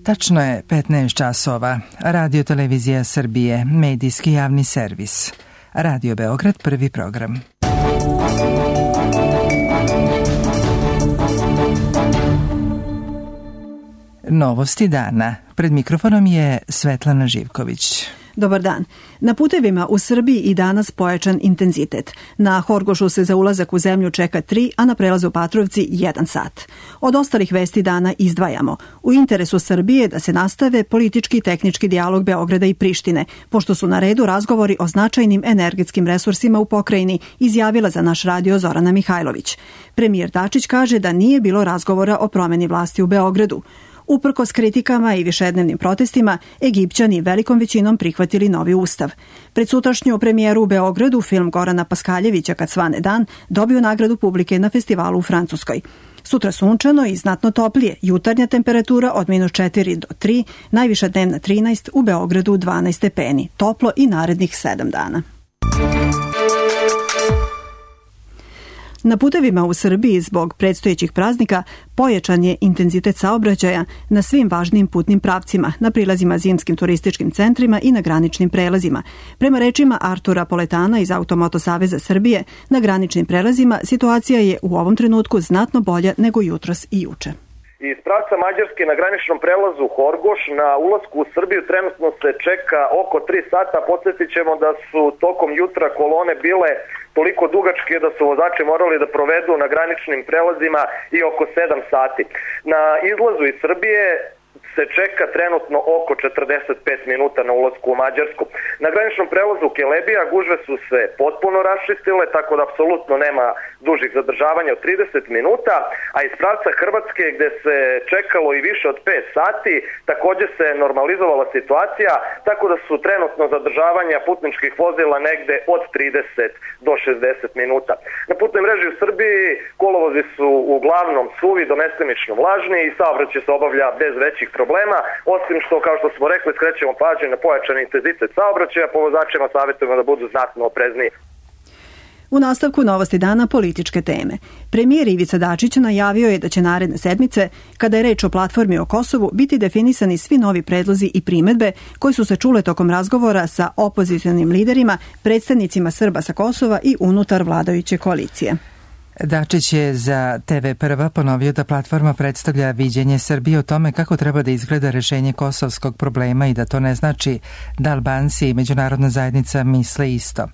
Tačno je 15 časova. Radio Televizija Srbije, medijski javni servis. Radio Beograd, prvi program. Novosti dana. Pred mikrofonom je Svetlana Živković. Dobar dan. Na putevima u Srbiji i danas pojačan intenzitet. Na Horgošu se za ulazak u zemlju čeka 3, a na prelazu Patrovci 1 sat. Od ostalih vesti dana izdvajamo. U interesu Srbije da se nastave politički i tehnički dijalog Beograda i Prištine, pošto su na redu razgovori o značajnim energetskim resursima u pokrajini, izjavila za naš radio Zorana Mihajlović. Premijer Dačić kaže da nije bilo razgovora o promeni vlasti u Beogradu. Uprkos kritikama i višednevnim protestima, Egipćani velikom većinom prihvatili novi ustav. Pred sutrašnju premijeru u Beogradu film Gorana Paskaljevića Kad svane dan dobio nagradu publike na festivalu u Francuskoj. Sutra sunčano i znatno toplije, jutarnja temperatura od -4 do 3, najviša dnevna 13, u Beogradu 12 stepeni, toplo i narednih 7 dana. Na putevima u Srbiji zbog predstojećih praznika pojačan je intenzitet saobraćaja na svim važnim putnim pravcima, na prilazima zimskim turističkim centrima i na graničnim prelazima. Prema rečima Artura Poletana iz Automoto Saveza Srbije, na graničnim prelazima situacija je u ovom trenutku znatno bolja nego jutros i juče. Iz pravca Mađarske na graničnom prelazu Horgoš na ulasku u Srbiju trenutno se čeka oko 3 sata. Podsjetit ćemo da su tokom jutra kolone bile toliko dugačke da su vozači morali da provedu na graničnim prelazima i oko 7 sati. Na izlazu iz Srbije se čeka trenutno oko 45 minuta na ulasku u Mađarsku. Na graničnom prelazu Kelebija gužve su se potpuno raščistile, tako da apsolutno nema dužih zadržavanja od 30 minuta, a iz pravca Hrvatske gde se čekalo i više od 5 sati, također se normalizovala situacija, tako da su trenutno zadržavanja putničkih vozila negde od 30 do 60 minuta. Na putnoj mreži u Srbiji kolovozi su uglavnom suvi do mestimično vlažni i saobraćaj se obavlja bez većih problema, osim što, kao što smo rekli, skrećemo pažnju na pojačan intenzitet saobraćaja, po vozačima savjetujemo da budu znatno oprezniji. U nastavku novosti dana političke teme. Premijer Ivica Dačić najavio je da će naredne sedmice, kada je reč o platformi o Kosovu, biti definisani svi novi predlozi i primedbe koji su se čule tokom razgovora sa opozicionim liderima, predstavnicima Srba sa Kosova i unutar vladajuće koalicije. Dačić je za TV Prva ponovio da platforma predstavlja viđenje Srbije o tome kako treba da izgleda rešenje kosovskog problema i da to ne znači da Albanci i međunarodna zajednica misle isto.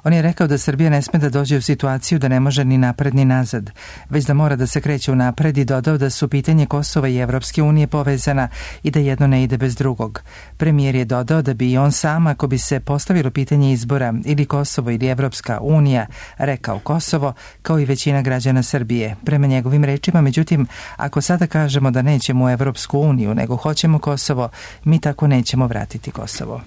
On je rekao da Srbija ne sme da dođe u situaciju da ne može ni napred ni nazad, već da mora da se kreće u napred i dodao da su pitanje Kosova i Evropske unije povezana i da jedno ne ide bez drugog. Premijer je dodao da bi i on sam, ako bi se postavilo pitanje izbora ili Kosovo ili Evropska unija, rekao Kosovo, kao i većina građana Srbije. Prema njegovim rečima, međutim, ako sada kažemo da nećemo u Evropsku uniju, nego hoćemo Kosovo, mi tako nećemo vratiti Kosovo.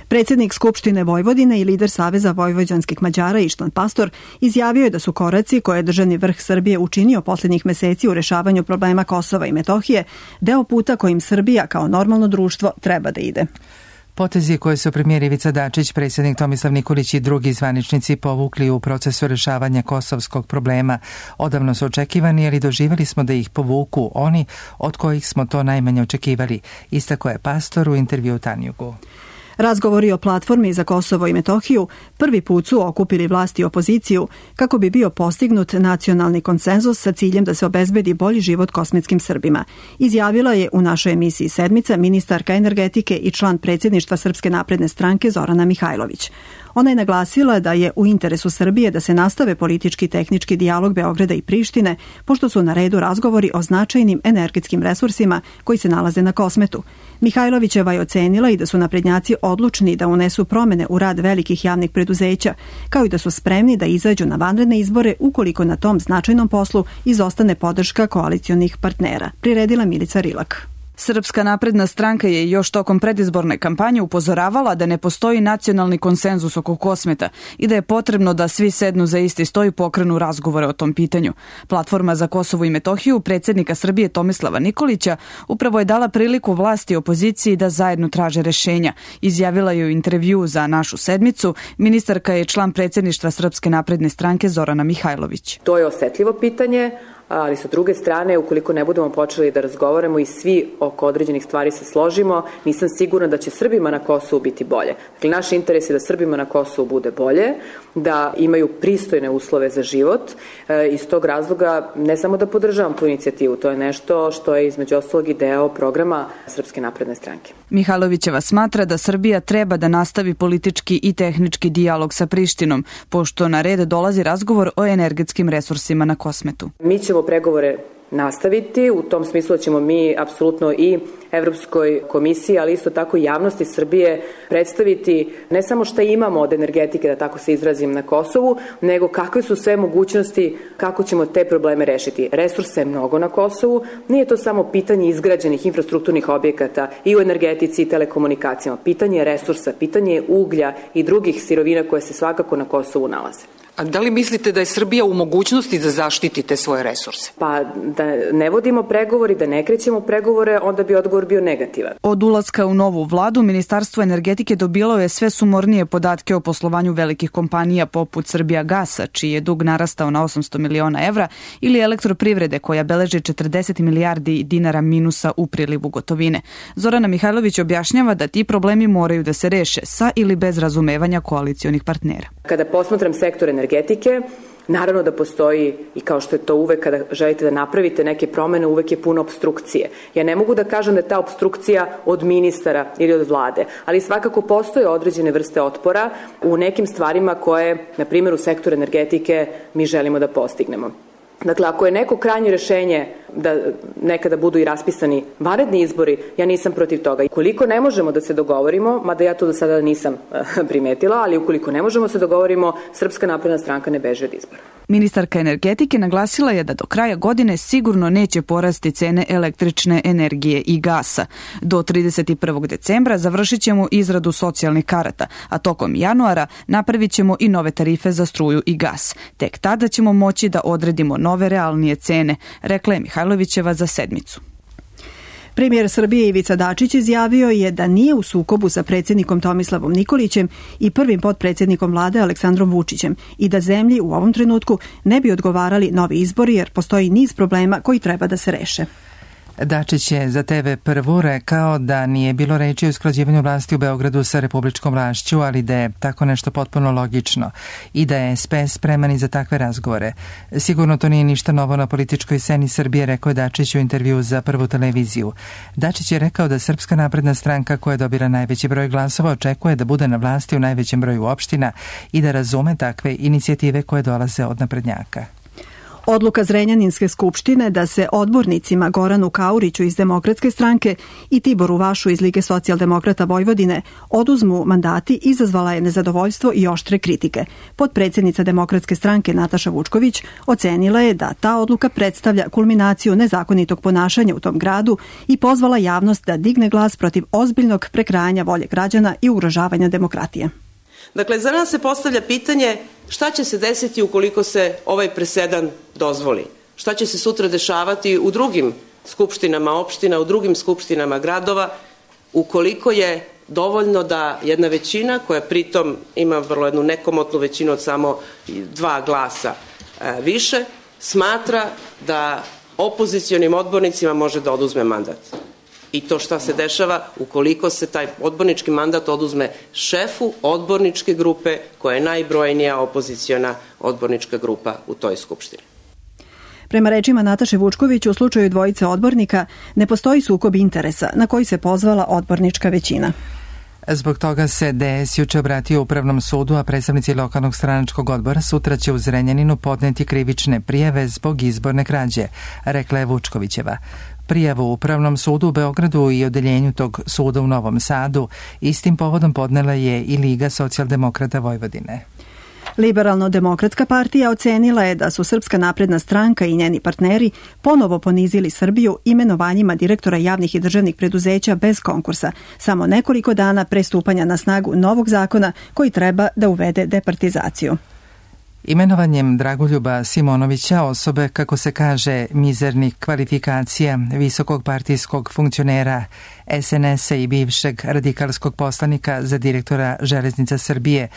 Predsjednik Skupštine Vojvodine i lider Saveza vojvođanskih Mađara Ištvan Pastor izjavio je da su koraci koje je državni vrh Srbije učinio posljednjih meseci u rešavanju problema Kosova i Metohije deo puta kojim Srbija kao normalno društvo treba da ide. Potezi koje su premijer Ivica Dačić, predsjednik Tomislav Nikolić i drugi zvaničnici povukli u procesu rešavanja kosovskog problema odavno su očekivani, ali doživjeli smo da ih povuku oni od kojih smo to najmanje očekivali, istakao je Pastor u intervju Tanjugu. Razgovori o platformi za Kosovo i Metohiju prvi put su okupili vlast i opoziciju kako bi bio postignut nacionalni konsenzus sa ciljem da se obezbedi bolji život kosmetskim Srbima. Izjavila je u našoj emisiji Sedmica ministarka energetike i član predsjedništva Srpske napredne stranke Zorana Mihajlović. Ona je naglasila da je u interesu Srbije da se nastave politički i tehnički dijalog Beograda i Prištine, pošto su na redu razgovori o značajnim energetskim resursima koji se nalaze na Kosmetu. Mihajlovićeva je ocenila i da su naprednjaci odlučni da unesu promene u rad velikih javnih preduzeća, kao i da su spremni da izađu na vanredne izbore ukoliko na tom značajnom poslu izostane podrška koalicionih partnera, priredila Milica Rilak. Srpska napredna stranka je još tokom predizborne kampanje upozoravala da ne postoji nacionalni konsenzus oko Kosmeta i da je potrebno da svi sednu za isti sto i pokrenu razgovore o tom pitanju. Platforma za Kosovo i Metohiju predsjednika Srbije Tomislava Nikolića upravo je dala priliku vlasti i opoziciji da zajedno traže rešenja. Izjavila je u intervju za našu sedmicu, ministarka je član predsjedništva Srpske napredne stranke Zorana Mihajlović. To je osetljivo pitanje, ali sa druge strane, ukoliko ne budemo počeli da razgovaramo i svi oko određenih stvari se složimo, nisam sigurna da će Srbima na Kosovu biti bolje. Dakle, naš interes je da Srbima na Kosovu bude bolje, da imaju pristojne uslove za život. Iz tog razloga ne samo da podržavam tu inicijativu, to je nešto što je između ostalog i deo programa Srpske napredne stranke. Mihajlovićeva smatra da Srbija treba da nastavi politički i tehnički dijalog sa Prištinom, pošto na red dolazi razgovor o energetskim resursima na Kosmetu. Mi ćemo pregovore nastaviti, u tom smislu ćemo mi apsolutno i Evropskoj komisiji, ali isto tako i javnosti Srbije predstaviti ne samo šta imamo od energetike, da tako se izrazim, na Kosovu, nego kakve su sve mogućnosti kako ćemo te probleme rešiti. Resursa je mnogo na Kosovu, nije to samo pitanje izgrađenih infrastrukturnih objekata i u energetici i telekomunikacijama. Pitanje je resursa, pitanje je uglja i drugih sirovina koje se svakako na Kosovu nalaze. A da li mislite da je Srbija u mogućnosti da zaštiti te svoje resurse? Pa da ne vodimo pregovori, da ne krećemo pregovore, onda bi odgovor bio negativan. Od ulaska u novu vladu, Ministarstvo energetike dobilo je sve sumornije podatke o poslovanju velikih kompanija poput Srbijagasa, čiji je dug narastao na 800 miliona evra, ili Elektroprivrede, koja beleži 40 milijardi dinara minusa u prilivu gotovine. Zorana Mihajlović objašnjava da ti problemi moraju da se reše sa ili bez razumevanja koalicionih partnera. Kada posmatram sektor energetike, naravno da postoji, i kao što je to uvek kada želite da napravite neke promene, uvek je puno opstrukcije. Ja ne mogu da kažem da je ta opstrukcija od ministara ili od vlade, ali svakako postoje određene vrste otpora u nekim stvarima koje, na primjer u sektoru energetike, mi želimo da postignemo. Dakle, ako je neko krajnje rešenje da nekada budu i raspisani vanredni izbori, ja nisam protiv toga. Koliko ne možemo da se dogovorimo, mada ja to do sada nisam primetila, ali ukoliko ne možemo se dogovorimo, Srpska napredna stranka ne beže od izbora. Ministarka energetike naglasila je da do kraja godine sigurno neće porasti cene električne energije i gasa. Do 31. decembra završit ćemo izradu socijalnih karata, a tokom januara napravit ćemo i nove tarife za struju i gas. Tek tada ćemo moći da odredimo nove realnije cene, rekla je Mihajlovićeva za Sedmicu. Premijer Srbije Ivica Dačić izjavio je da nije u sukobu sa predsjednikom Tomislavom Nikolićem i prvim potpredsjednikom vlade Aleksandrom Vučićem i da zemlji u ovom trenutku ne bi odgovarali novi izbori jer postoji niz problema koji treba da se reše. Dačić je za TV Prvu rekao da nije bilo reči o usklađivanju vlasti u Beogradu sa republičkom vlašću, ali da je tako nešto potpuno logično i da je SPS spreman i za takve razgovore. Sigurno to nije ništa novo na političkoj sceni Srbije, rekao je Dačić u intervju za Prvu televiziju. Dačić je rekao da Srpska napredna stranka, koja dobira najveći broj glasova, očekuje da bude na vlasti u najvećem broju opština i da razume takve inicijative koje dolaze od naprednjaka. Odluka Zrenjaninske skupštine da se odbornicima Goranu Kauriću iz Demokratske stranke i Tiboru Vašu iz Lige socijaldemokrata Vojvodine oduzmu mandati izazvala je nezadovoljstvo i oštre kritike. Potpredsjednica Demokratske stranke Nataša Vučković ocenila je da ta odluka predstavlja kulminaciju nezakonitog ponašanja u tom gradu i pozvala javnost da digne glas protiv ozbiljnog prekrajanja volje građana i ugrožavanja demokratije. Dakle, za nas se postavlja pitanje šta će se desiti ukoliko se ovaj presedan dozvoli? Šta će se sutra dešavati u drugim skupštinama opština, u drugim skupštinama gradova, ukoliko je dovoljno da jedna većina, koja pritom ima vrlo jednu nekomotnu većinu od samo 2 glasa više, smatra da opozicionim odbornicima može da oduzme mandat. I to šta se dešava ukoliko se taj odbornički mandat oduzme šefu odborničke grupe koja je najbrojnija opoziciona odbornička grupa u toj skupštini. Prema rečima Nataše Vučković, u slučaju dvojice odbornika ne postoji sukob interesa na koji se pozvala odbornička većina. Zbog toga se DS juče obratio Upravnom sudu, a predstavnici lokalnog stranačkog odbora sutra će u Zrenjaninu podneti krivične prijave zbog izborne krađe, rekla je Vučkovićeva. Prijavu u Upravnom sudu u Beogradu i odeljenju tog suda u Novom Sadu istim povodom podnela je i Liga socijaldemokrata Vojvodine. Liberalno-demokratska partija ocenila je da su Srpska napredna stranka i njeni partneri ponovo ponizili Srbiju imenovanjima direktora javnih i državnih preduzeća bez konkursa, samo nekoliko dana pre stupanja na snagu novog zakona koji treba da uvede departizaciju. Imenovanjem Dragoljuba Simonovića, osobe, kako se kaže, mizernih kvalifikacija visokog partijskog funkcionera SNS-a i bivšeg radikalskog poslanika za direktora Železnica Srbije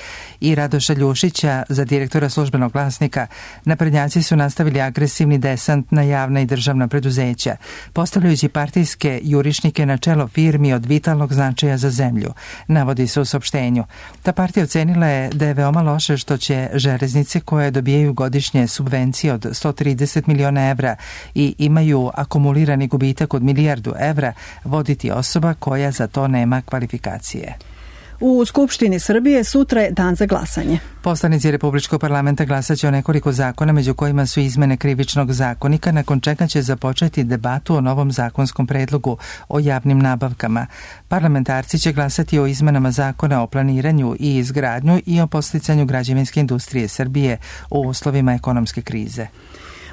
i Radoša Ljušića za direktora Službenog glasnika, naprednjaci su nastavili agresivni desant na javna i državna preduzeća, postavljajući partijske jurišnike na čelo firmi od vitalnog značaja za zemlju, navodi se u saopštenju. Ta partija ocenila je da je veoma loše što će železnice koje dobijaju godišnje subvencije od 130 miliona evra i imaju akumulirani gubitak od milijardu evra voditi osoba koja za to nema kvalifikacije. U Skupštini Srbije sutra je dan za glasanje. Poslanici Republičkog parlamenta glasaće o nekoliko zakona, među kojima su izmene Krivičnog zakonika, nakon čega će započeti debatu o novom zakonskom predlogu o javnim nabavkama. Parlamentarci će glasati o izmenama zakona o planiranju i izgradnju i o podsticanju građevinske industrije Srbije u uslovima ekonomske krize.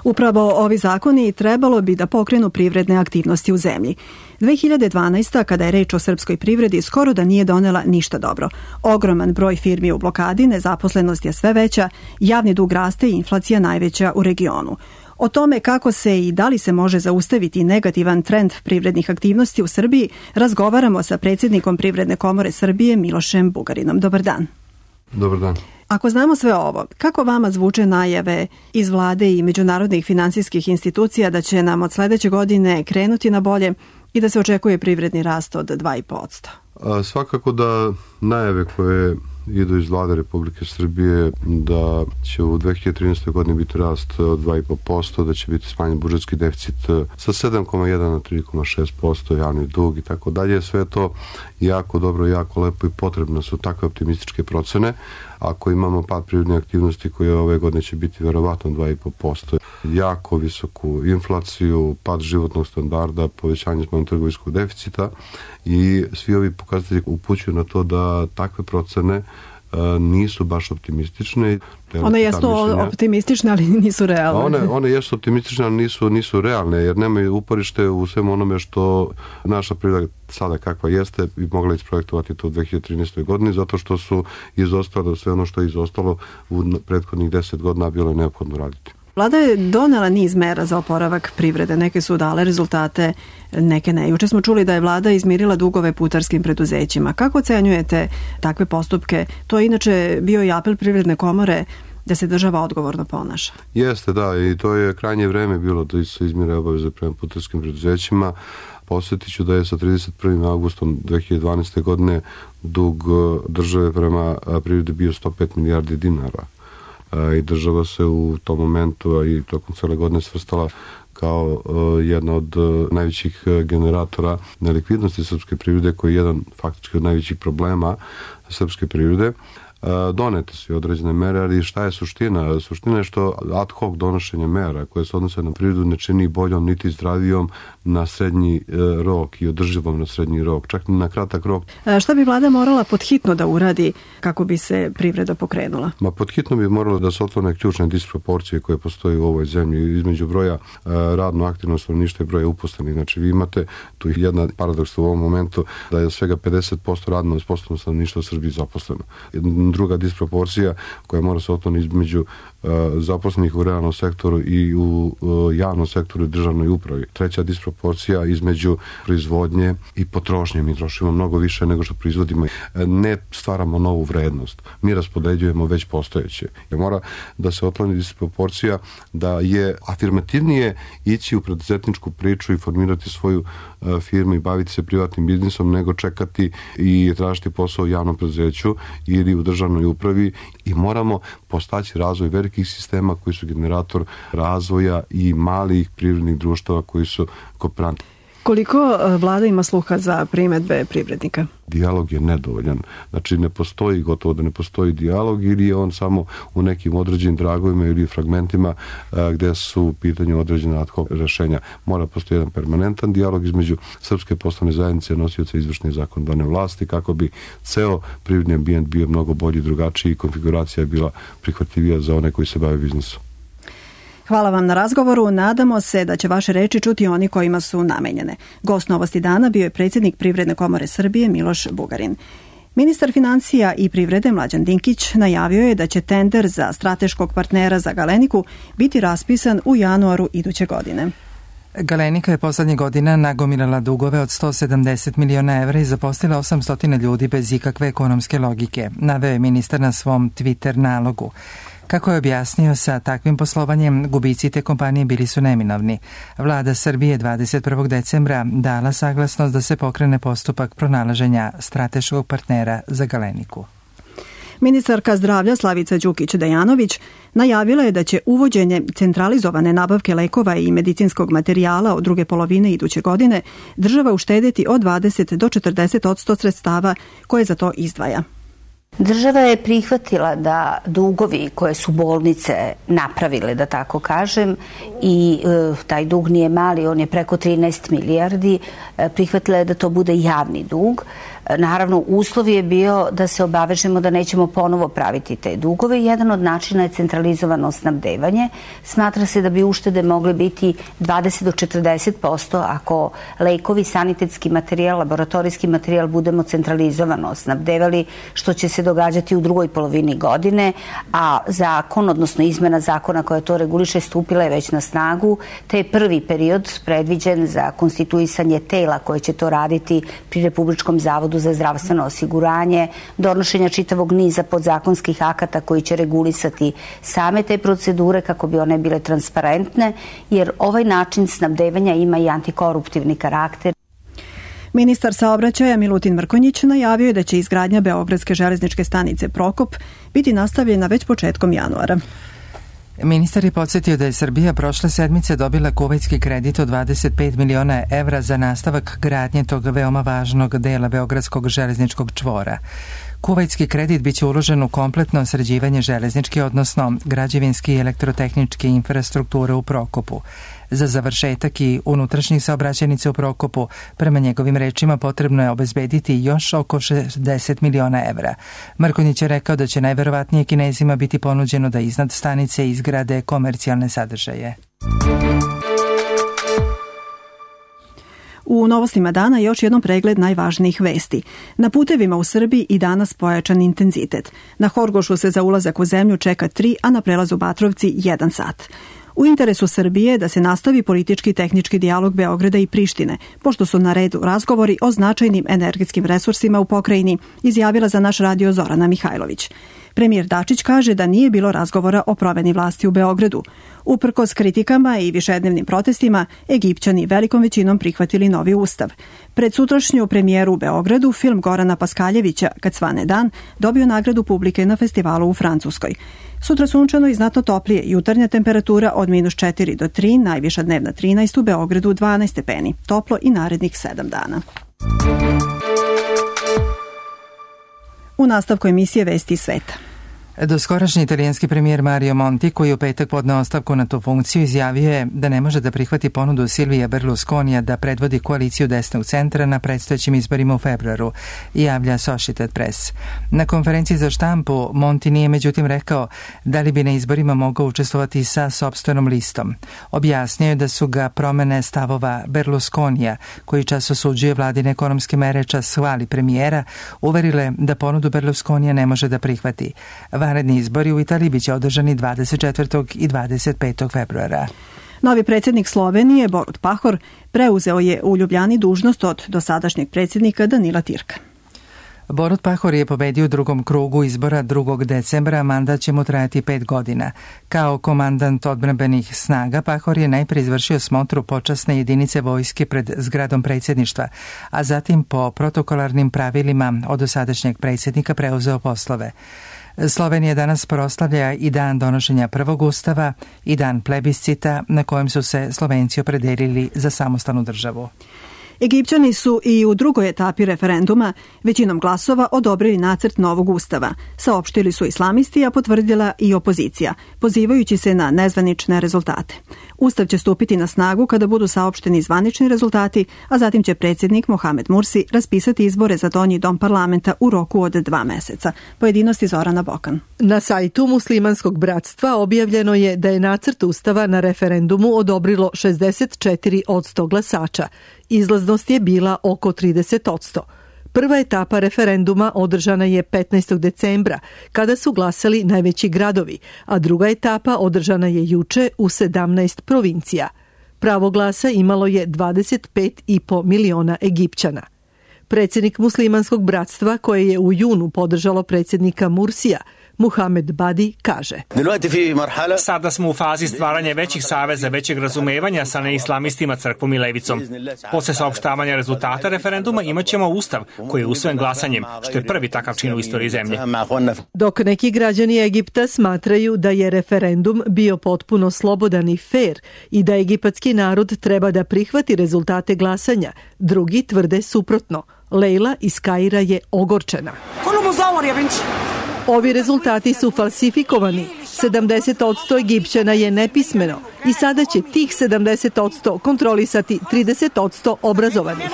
Upravo ovi zakoni trebalo bi da pokrenu privredne aktivnosti u zemlji. 2012. kada je reč o srpskoj privredi, skoro da nije donela ništa dobro. Ogroman broj firmi u blokadi, nezaposlenost je sve veća, javni dug raste i inflacija najveća u regionu. O tome kako se i da li se može zaustaviti negativan trend privrednih aktivnosti u Srbiji razgovaramo sa predsjednikom Privredne komore Srbije Milošem Bugarinom. Dobar dan. Dobar dan. Ako znamo sve ovo, kako vama zvuče najave iz vlade i međunarodnih finansijskih institucija da će nam od sledeće godine krenuti na bolje i da se očekuje privredni rast od 2,5%? Svakako da najave koje idu iz vlade Republike Srbije da će u 2013. godini biti rast od 2,5%, da će biti smanjen budžetski deficit sa 7,1 na 3,6%, javni dug i tako dalje. Sve to jako dobro, jako lepo i potrebno su takve optimističke procene. Ako imamo pad privredne aktivnosti koje ove godine će biti verovatno 2,5%, jako visoku inflaciju, pad životnog standarda, povećanje spoljnotrgovinskog deficita i svi ovi pokazatelji upućuju na to da takve procene nisu baš optimistične. One jesu optimistične, ali nisu realne. One jesu optimistične, ali nisu realne, jer nemaju uporište u svemu onome što naša privreda sada kakva jeste i mogla isprojektovati to u 2013. godini, zato što su izostalo sve ono što je izostalo u prethodnih 10 godina bilo je neophodno raditi. Vlada je donela niz mera za oporavak privrede. Neke su dale rezultate, neke ne. Juče smo čuli da je vlada izmirila dugove putarskim preduzećima. Kako ocenjujete takve postupke? To je inače bio i apel Privredne komore da se država odgovorno ponaša. Jeste, da, i to je krajnje vreme bilo da se izmire obaveze prema putarskim preduzećima. Posjetit ću da je sa 31. augustom 2012. godine dug države prema privredi bio 105 milijardi dinara. I država se u tom momentu, a i tokom cele godine svrstala kao jedna od najvećih generatora nelikvidnosti srpske privrede, koji je jedan faktički od najvećih problema srpske privrede. Donete su određene mere, ali šta je suština? Suština je što ad hoc donošenje mera koje se odnose na privredu ne čini boljom niti zdravijom na srednji rok i održivom na srednji rok, čak ni na kratak rok. Šta bi vlada morala podhitno da uradi kako bi se privreda pokrenula? Podhitno bi moralo da se otklone ključne disproporcije koje postoje u ovoj zemlji između broja radno aktivnog stanovništva i broja uposlenih. Znači vi imate tu jedan paradoks u ovom momentu da je svega 50% radno sposobno stanovništva u Srbiji zaposleno. Druga disproporcija koja mora se otkloniti između zaposlenih u realnom sektoru i u javnom sektoru i državnoj upravi. Treća disproporcija između proizvodnje i potrošnje. Mi trošimo mnogo više nego što proizvodimo. Ne stvaramo novu vrednost. Mi raspodeljujemo već postojeće. Jer mora da se otkloni disproporcija da je afirmativnije ići u preduzetničku priču i formirati svoju firmu i baviti se privatnim biznisom nego čekati i tražiti posao u javnom preduzeću ili u državnoj upravi i moramo postaći razvoj velikih sistema koji su generator razvoja i malih privrednih društava koji su kooperanti. Koliko vlada ima sluha za primedbe privrednika? Dijalog je nedovoljan. Znači ne postoji, gotovo da ne postoji dijalog ili je on samo u nekim određenim dragovima ili fragmentima gde su u pitanju određena ad hoc rešenja. Mora postoji jedan permanentan dijalog između srpske poslovne zajednice, nosioca izvršne i zakonodavne vlasti kako bi ceo privredni ambijent bio mnogo bolji, drugačiji i konfiguracija bila prihvatljivija za one koji se bave biznisom. Hvala vam na razgovoru. Nadamo se da će vaše reči čuti oni kojima su namenjene. Gost Novosti dana bio je predsjednik Privredne komore Srbije Miloš Bugarin. Ministar financija i privrede Mlađan Dinkić najavio je da će tender za strateškog partnera za Galeniku biti raspisan u januaru iduće godine. Galenika je poslednjih godina nagomilala dugove od 170 miliona evra i zaposlila 800 ljudi bez ikakve ekonomske logike, naveo je ministar na svom Twitter nalogu. Kako je objasnio, sa takvim poslovanjem gubici te kompanije bili su neminovni. Vlada Srbije 21. decembra dala saglasnost da se pokrene postupak pronalaženja strateškog partnera za Galeniku. Ministarka zdravlja Slavica Đukić-Dejanović najavila je da će uvođenje centralizovane nabavke lekova i medicinskog materijala od druge polovine iduće godine država uštedeti od 20 do 40% sredstava koje za to izdvaja. Država je prihvatila da dugovi koje su bolnice napravile, da tako kažem, i taj dug nije mali, on je preko 13 milijardi, prihvatila je da to bude javni dug. Naravno, uslov je bio da se obavežemo da nećemo ponovo praviti te dugove. Jedan od načina je centralizovano snabdevanje. Smatra se da bi uštede mogle biti 20 do 40% ako lekovi, sanitetski materijal, laboratorijski materijal budemo centralizovano snabdevali, što će se događati u drugoj polovini godine, a zakon, odnosno izmena zakona koja to reguliše, stupila je već na snagu, te je prvi period predviđen za konstituisanje tela koje će to raditi pri Republičkom zavodu za zdravstveno osiguranje, donošenja čitavog niza podzakonskih akata koji će regulisati same te procedure kako bi one bile transparentne, jer ovaj način snabdevanja ima i antikoruptivni karakter. Ministar saobraćaja Milutin Mrkonjić najavio je da će izgradnja Beogradske železničke stanice Prokop biti nastavljena već početkom januara. Ministar je podsjetio da je Srbija prošle sedmice dobila kuvajtski kredit od 25 miliona evra za nastavak gradnje tog veoma važnog dela Beogradskog železničkog čvora. Kuvajtski kredit biće uložen u kompletno sređivanje železničke, odnosno građevinske i elektrotehničke infrastrukture u Prokopu. Za završetak i unutrašnjih saobraćajnica u Prokopu, prema njegovim rečima, potrebno je obezbediti još oko 60 miliona evra. Mrkonjić je rekao da će najverovatnije Kinezima biti ponuđeno da iznad stanice izgrade komercijalne sadržaje. U novostima dana još jednom pregled najvažnijih vesti. Na putevima u Srbiji i danas pojačan intenzitet. Na Horgošu se za ulazak u zemlju čeka 3, a na prelazu Batrovci 1 sat. U interesu Srbije je da se nastavi politički i tehnički dijalog Beograda i Prištine, pošto su na redu razgovori o značajnim energetskim resursima u pokrajini, izjavila za naš radio Zorana Mihajlović. Premijer Dačić kaže da nije bilo razgovora o promeni vlasti u Beogradu. Uprkos kritikama i višednevnim protestima, Egipćani velikom većinom prihvatili novi ustav. Pred sutrašnju premijeru u Beogradu film Gorana Paskaljevića Kad svane dan dobio nagradu publike na festivalu u Francuskoj. Sutra sunčano i znatno toplije, jutarnja temperatura od -4 do 3, najviša dnevna 13, u Beogradu 12 stepeni, toplo i narednih 7 dana. U nastavku emisije Vesti sveta. Doskorašnji italijanski premijer Mario Monti, koji je u petak podneo ostavku na tu funkciju, izjavio je da ne može da prihvati ponudu Silvija Berlusconija da predvodi koaliciju desnog centra na predstojećim izborima u februaru, javlja Associated Press. Na konferenciji za štampu Monti nije međutim rekao da li bi na izborima mogao učestvovati sa sopstvenom listom. Objasnio je da su ga promene stavova Berlusconija, koji čas osuđuje vladine ekonomske mere, čas hvali premijera, uverile da ponudu Berlusconija ne može da prihvati. Vanredni izbori u Italiji biće održani 24. i 25. februara. Novi predsjednik Slovenije, Borut Pahor, preuzeo je u Ljubljani dužnost od dosadašnjeg predsjednika Danila Tirka. Borut Pahor je pobedio u drugom krugu izbora 2. decembra, mandat će mu trajati 5 godina. Kao komandant odbrambenih snaga, Pahor je najprije izvršio smotru počasne jedinice vojske pred zgradom predsjedništva, a zatim po protokolarnim pravilima od dosadašnjeg predsjednika preuzeo poslove. Slovenija danas proslavlja i dan donošenja prvog ustava i dan plebiscita na kojem su se Slovenci opredelili za samostalnu državu. Egipćani su i u drugoj etapi referenduma većinom glasova odobrili nacrt novog ustava. Saopštili su islamisti, a potvrdila i opozicija, pozivajući se na nezvanične rezultate. Ustav će stupiti na snagu kada budu saopšteni zvanični rezultati, a zatim će predsjednik Mohamed Mursi raspisati izbore za donji dom parlamenta u roku od 2 meseca. Pojedinosti Zorana Bokan. Na sajtu Muslimanskog bratstva objavljeno je da je nacrt ustava na referendumu odobrilo 64% glasača. Izlaznost je bila oko 30%. Prva etapa referenduma održana je 15. decembra, kada su glasali najveći gradovi, a druga etapa održana je juče u 17 provincija. Pravo glasa imalo je 25,5 miliona Egipćana. Predsjednik muslimanskog bratstva, koje je u junu podržalo predsjednika Mursija, Muhamed Badi, kaže: Sada smo u fazi stvaranja većih saveza, većeg razumevanja sa neislamistima, crkvom i levicom. Posle saopštavanja rezultata referenduma imaćemo ustav koji je usvojen glasanjem, što je prvi takav čin u istoriji zemlje. Dok neki građani Egipta smatraju da je referendum bio potpuno slobodan i fair i da egipatski narod treba da prihvati rezultate glasanja, drugi tvrde suprotno. Lejla iz Kaira je ogorčena. Ovi rezultati su falsifikovani. 70% Egipćana je nepismeno i sada će tih 70% kontrolisati 30% obrazovanih.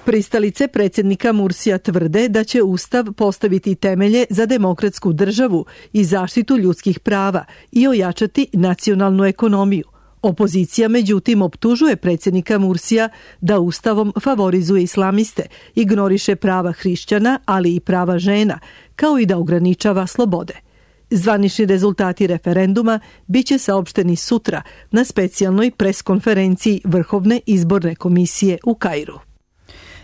Pristalice predsjednika Mursija tvrde da će Ustav postaviti temelje za demokratsku državu i zaštitu ljudskih prava i ojačati nacionalnu ekonomiju. Opozicija međutim optužuje predsjednika Mursija da Ustavom favorizuje islamiste, ignoriše prava hrišćana, ali i prava žena, kao i da ograničava slobode. Zvanični rezultati referenduma biće saopšteni sutra na specijalnoj preskonferenciji Vrhovne izborne komisije u Kairu.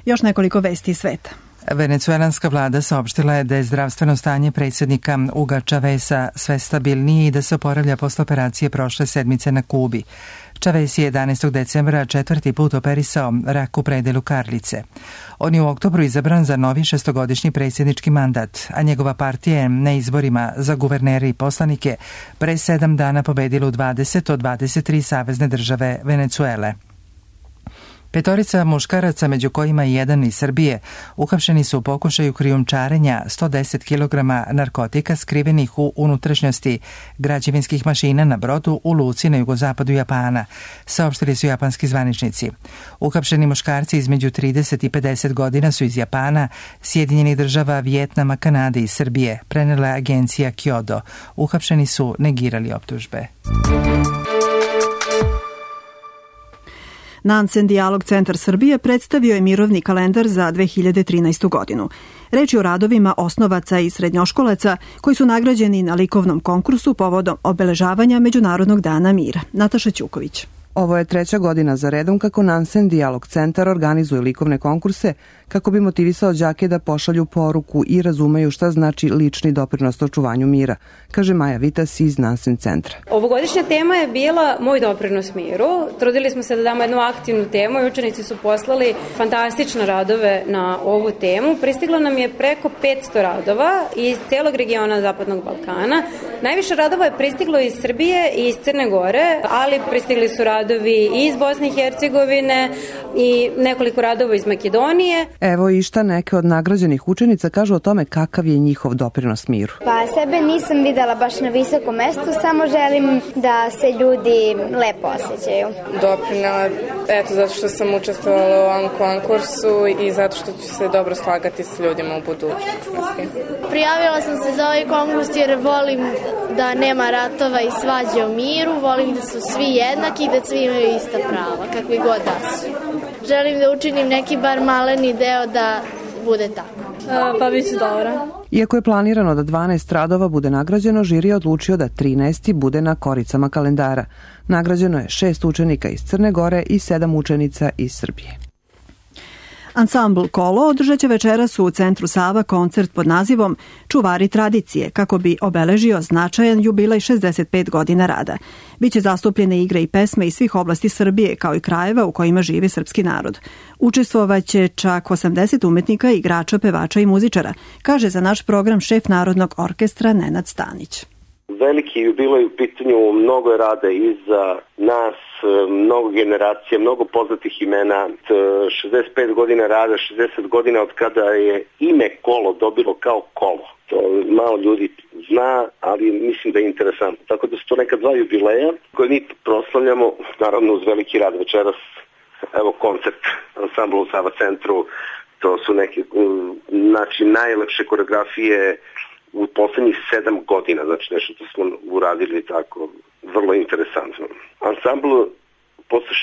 Još nekoliko vesti iz sveta. Venecuelanska vlada saopštila je da je zdravstveno stanje predsjednika Huga Chaveza sve stabilnije i da se oporavlja posle operacije prošle sedmice na Kubi. Chavez je 11. decembra 4. put operisao rak u predelu karlice. On je u oktobru izabran za novi 6-godišnji predsjednički mandat, a njegova partija je na izborima za guvernere i poslanike pre 7 dana pobedila u 20 od 23 savezne države Venecuele. 5 muškaraca, među kojima i jedan iz Srbije, uhapšeni su u pokušaju krijumčarenja 110 kg narkotika skrivenih u unutrašnjosti građevinskih mašina na brodu u luci na jugozapadu Japana, saopštili su japanski zvaničnici. Uhapšeni muškarci između 30 i 50 godina su iz Japana, Sjedinjenih država, Vijetnama, Kanade i Srbije, prenela agencija Kyodo. Uhapšeni su negirali optužbe. Nansen Dijalog Centar Srbije predstavio je mirovni kalendar za 2013. godinu. Reč je o radovima osnovaca i srednjoškolaca koji su nagrađeni na likovnom konkursu povodom obeležavanja Međunarodnog dana mira. Nataša Ćuković. Ovo je 3. godina za redom kako Nansen Dijalog Centar organizuje likovne konkurse kako bi motivisao đake da pošalju poruku i razumeju šta znači lični doprinos očuvanju mira, kaže Maja Vitas iz Nansen centra. Ovogodišnja tema je bila Moj doprinos miru. Trudili smo se da damo jednu aktivnu temu i učenici su poslali fantastične radove na ovu temu. Pristiglo nam je preko 500 radova iz celog regiona Zapadnog Balkana. Najviše radova je pristiglo iz Srbije i iz Crne Gore, ali pristigli su radovi i iz Bosne i Hercegovine i nekoliko radova iz Makedonije. Evo i šta neke od nagrađenih učenica kažu o tome kakav je njihov doprinos miru. Pa sebe nisam videla baš na visokom mestu, samo želim da se ljudi lepo osjećaju. Doprinela, zato što sam učestvovala u ovom konkursu i zato što ću se dobro slagati s ljudima u budućnosti. Prijavila sam se za ovaj konkurs jer volim da nema ratova i svađe o miru, volim da su svi jednaki i da svi imaju ista prava, kakvi god da su. Želim da učinim neki bar maleni deo da bude tako. Pa bit će dobro. Iako je planirano da 12 radova bude nagrađeno, žiri je odlučio da 13 bude na koricama kalendara. Nagrađeno je 6 učenika iz Crne Gore i 7 učenica iz Srbije. Ansambl Kolo održat će večeras u Centru Sava koncert pod nazivom Čuvari tradicije, kako bi obeležio značajan jubilej 65 godina rada. Biće zastupljene igre i pesme iz svih oblasti Srbije, kao i krajeva u kojima živi srpski narod. Učestvovaće čak 80 umetnika, igrača, pevača i muzičara, kaže za naš program šef Narodnog orkestra Nenad Stanić. Veliki jubilej u pitanju, mnogo je rada iza nas, mnogo generacija, mnogo poznatih imena, 65 godina rada, 60 godina od kada je ime Kolo dobilo kao kolo. To malo ljudi zna, ali mislim da je interesantno. Tako da su to neka 2 jubileja koje mi proslavljamo, naravno uz veliki rad večeras. Evo koncert ansambla u Sava centru, to su neke najlepše koreografije u poslednjih 7 godina, znači nešto što smo uradili tako, vrlo interesantno. Ansambl posle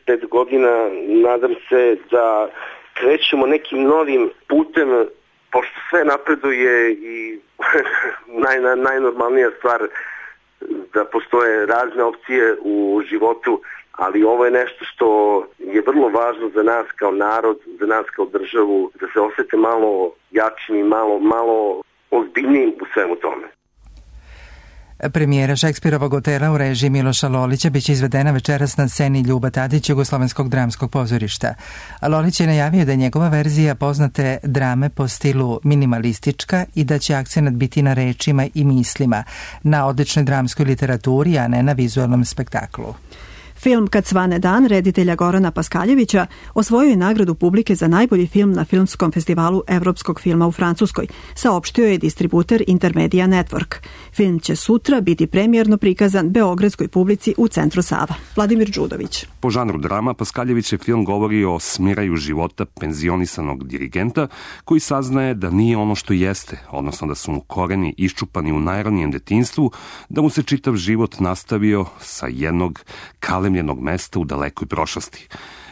65 godina nadam se da krećemo nekim novim putem, pošto sve napreduje i najnormalnija stvar da postoje razne opcije u životu, ali ovo je nešto što je vrlo važno za nas kao narod, za nas kao državu, da se osjete malo jačim i malo ozbiljnijim u svemu tome. Premijera Šekspirovog Otela u režiji Miloša Lolića biće izvedena večeras na sceni Ljuba Tadić Jugoslovenskog dramskog pozorišta. Lolić je najavio da je njegova verzija poznate drame po stilu minimalistička i da će akcenat biti na rečima i mislima, na odličnoj dramskoj literaturi, a ne na vizualnom spektaklu. Film Kad svane dan reditelja Gorana Paskaljevića osvojio je nagradu publike za najbolji film na Filmskom festivalu Evropskog filma u Francuskoj, saopštio je distributer Intermedia Network. Film će sutra biti premijerno prikazan beogradskoj publici u Centru Sava. Vladimir Đudović. Po žanru drama, Paskaljevićev film govori o smiraju života penzionisanog dirigenta koji saznaje da nije ono što jeste, odnosno da su mu koreni iščupani u najranijem detinjstvu, da mu se čitav život nastavio sa jednog kalemljenog mesta u dalekoj prošlosti.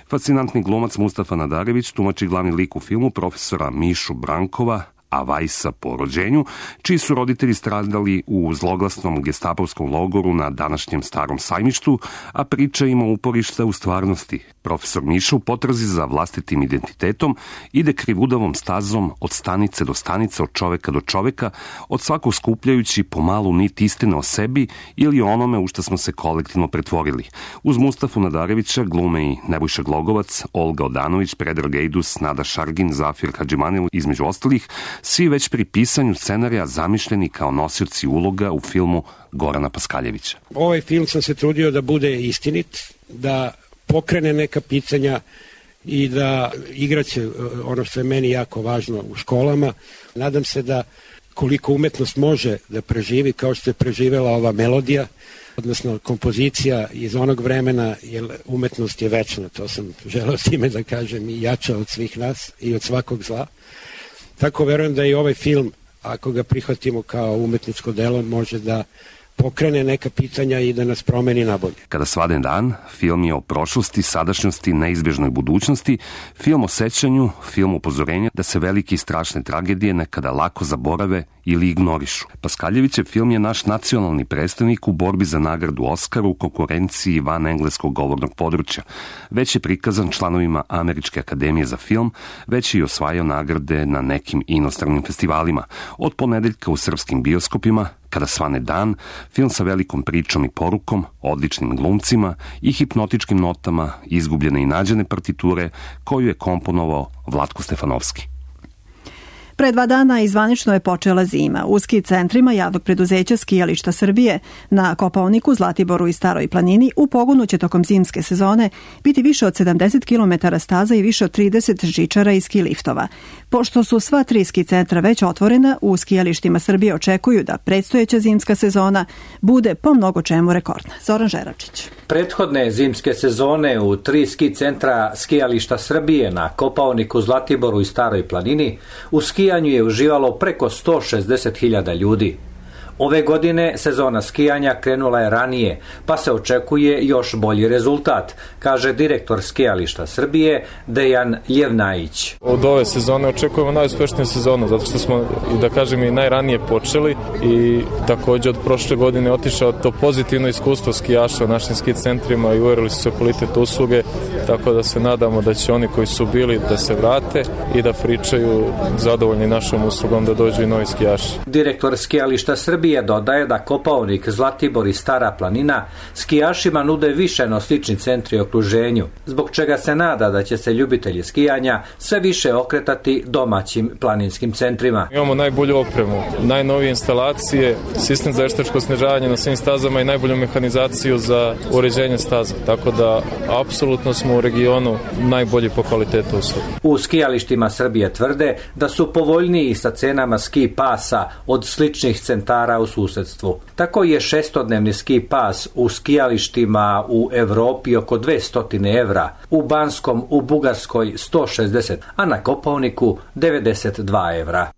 Fascinantni glumac Mustafa Nadarević tumači glavni lik u filmu profesora Mišu Brankova, a Vajsa po rođenju, čiji su roditelji stradali u zloglasnom gestapovskom logoru na današnjem Starom sajmištu, a priča ima uporišta u stvarnosti. Profesor Miša u potrazi za vlastitim identitetom ide krivudavom stazom od stanice do stanice, od čoveka do čoveka, od svakog skupljajući pomalu nit istine o sebi ili o onome u što smo se kolektivno pretvorili. Uz Mustafu Nadarevića glume i Nebojša Glogovac, Olga Odanović, Predrag Ejdus, Nada Šargin, Zafir Hadžimanil, između ostalih, svi već pri pisanju scenarija zamišljeni kao nosioci uloga u filmu Gorana Paskaljevića. Ovaj film sam se trudio da bude istinit, da pokrene neka pitanja i da igraće ono što je meni jako važno u školama. Nadam se da koliko umetnost može da preživi, kao što je preživela ova melodija, odnosno kompozicija iz onog vremena, jer umetnost je večna, to sam želeo s time da kažem, i jača od svih nas i od svakog zla. Tako verujem da i ovaj film, ako ga prihvatimo kao umetničko delo, može da pokrene neka pitanja i da nas promeni na bolje. Kada svane dan, film je o prošlosti, sadašnjosti, neizbježnoj budućnosti, film o sećanju, film upozorenja da se velike i strašne tragedije nekada lako zaborave ili ignorišu. Paskaljevićev film je naš nacionalni predstavnik u borbi za nagradu Oskara u konkurenciji van engleskog govornog područja. Već je prikazan članovima Američke akademije za film, već je i osvajao nagrade na nekim inostranim festivalima. Od ponedeljka u srpskim bioskopima, Kada svane dan, film sa velikom pričom i porukom, odličnim glumcima i hipnotičkim notama izgubljene i nađene partiture koju je komponovao Vlatko Stefanovski. Pre 2 dana izvanično je počela zima. U ski centrima javnog preduzeća Skijališta Srbije na Kopaoniku, Zlatiboru i Staroj planini u pogonu će tokom zimske sezone biti više od 70 km staza i više od 30 žičara i ski liftova. Pošto su sva 3 ski centra već otvorena, u skijalištima Srbije očekuju da predstojeća zimska sezona bude po mnogo čemu rekordna. Zoran Žeračić. Prethodne zimske sezone u 3 ski centra Skijališta Srbije na Kopaoniku, Zlatiboru i Staroj planini u skijanju je uživalo preko 160.000 ljudi. Ove godine sezona skijanja krenula je ranije, pa se očekuje još bolji rezultat, kaže direktor Skijališta Srbije Dejan Ljevnajić. Od ove sezone očekujemo najuspešniju sezonu, zato što smo, da kažem, i najranije počeli i također od prošle godine otišao to pozitivno iskustvo skijaša u našim ski centrima i uverili su se kvalitet usluge, tako da se nadamo da će oni koji su bili da se vrate i da pričaju zadovoljni našom uslugom da dođu i novi skijaši. Direktor Skijališta Srbije dodaje da Kopaonik, Zlatibor i Stara planina skijašima nude više no slični centri u okruženju, zbog čega se nada da će se ljubitelji skijanja sve više okretati domaćim planinskim centrima. Imamo najbolju opremu, najnovije instalacije, sistem za veštačko snižavanje na svim stazama i najbolju mehanizaciju za uređenje staza, tako da apsolutno smo u regionu najbolji po kvalitetu usluge. U skijalištima Srbije tvrde da su povoljniji sa cenama ski pasa od sličnih centara u susedstvu. Tako je 6-dnevni ski pas u skijalištima u Evropi oko 200 evra, u Banskom u Bugarskoj 160, a na Kopaoniku 92 evra.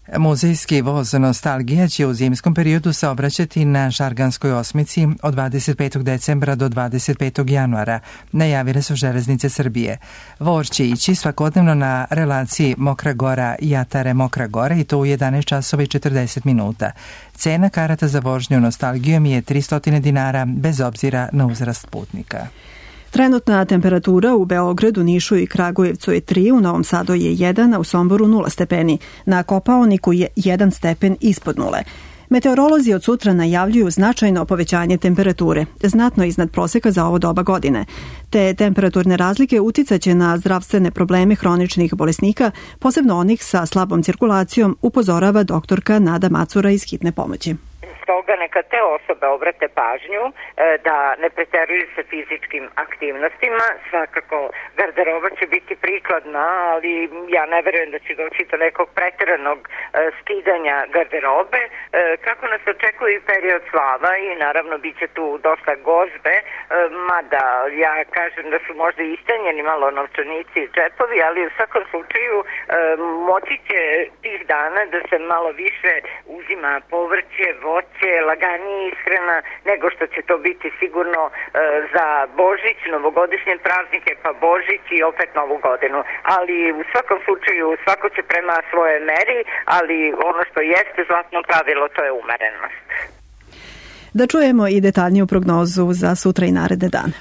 Muzejski voz Nostalgija će u zimskom periodu saobraćati na Šarganskoj osmici od 25. decembra do 25. januara, najavile su Železnice Srbije. Voz će ići svakodnevno na relaciji Mokra Gora i Jatare Mokra Gora i to u 11 časova i 40 minuta. Cena karata za vožnju Nostalgijom je 300 dinara bez obzira na uzrast putnika. Trenutna temperatura u Beogradu, Nišu i Kragujevcu je 3, u Novom Sadu je 1, a u Somboru 0 stepeni. Na Kopaoniku je 1 stepen ispod nule. Meteorolozi od sutra najavljuju značajno povećanje temperature, znatno iznad proseka za ovo doba godine. Te temperaturne razlike uticaće na zdravstvene probleme hroničnih bolesnika, posebno onih sa slabom cirkulacijom, upozorava doktorka Nada Macura iz Hitne pomoći. Stoga neka te osobe obrate pažnju da ne preteruju sa fizičkim aktivnostima. Svakako garderoba će biti prikladna, ali ja ne verujem da će doći do nekog preteranog skidanja garderobe. Kako nas očekuje period slava i naravno bit će tu dosta gozbe, mada ja kažem da su možda istanjeni malo novčanici i džepovi, ali u svakom slučaju moći će tih dana da se malo više uzima povrće, voće, laganije ishrana nego što će to biti sigurno za Božić, novogodišnje praznike, pa Božić i opet Novu godinu. Ali u svakom slučaju svako će prema svoje meri, ali ono što jeste zlatno pravilo to je umerenost. Da čujemo i detaljniju prognozu za sutra i naredne dane.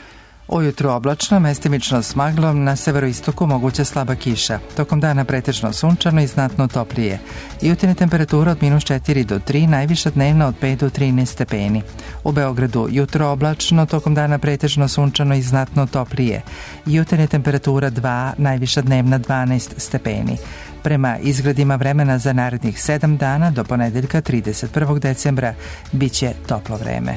Ujutru oblačno, mestimično s maglom, na severoistoku moguća slaba kiša. Tokom dana pretežno sunčano i znatno toplije. Jutarnja temperatura od -4 do 3, najviša dnevna od 5 do 13 stepeni. U Beogradu jutro oblačno, tokom dana pretežno sunčano i znatno toplije. Jutarnja temperatura 2, najviša dnevna 12 stepeni. Prema izgledima vremena za narednih 7 dana do ponedeljka 31. decembra biće toplo vreme.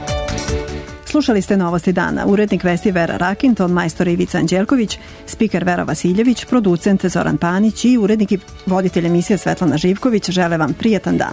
Slušali ste Novosti dana. Urednik vesti Vera Rakin, ton majstor Ivica Anđelković, spiker Vera Vasiljević, producent Zoran Panić i urednik i voditelj emisije Svetlana Živković žele vam prijatan dan.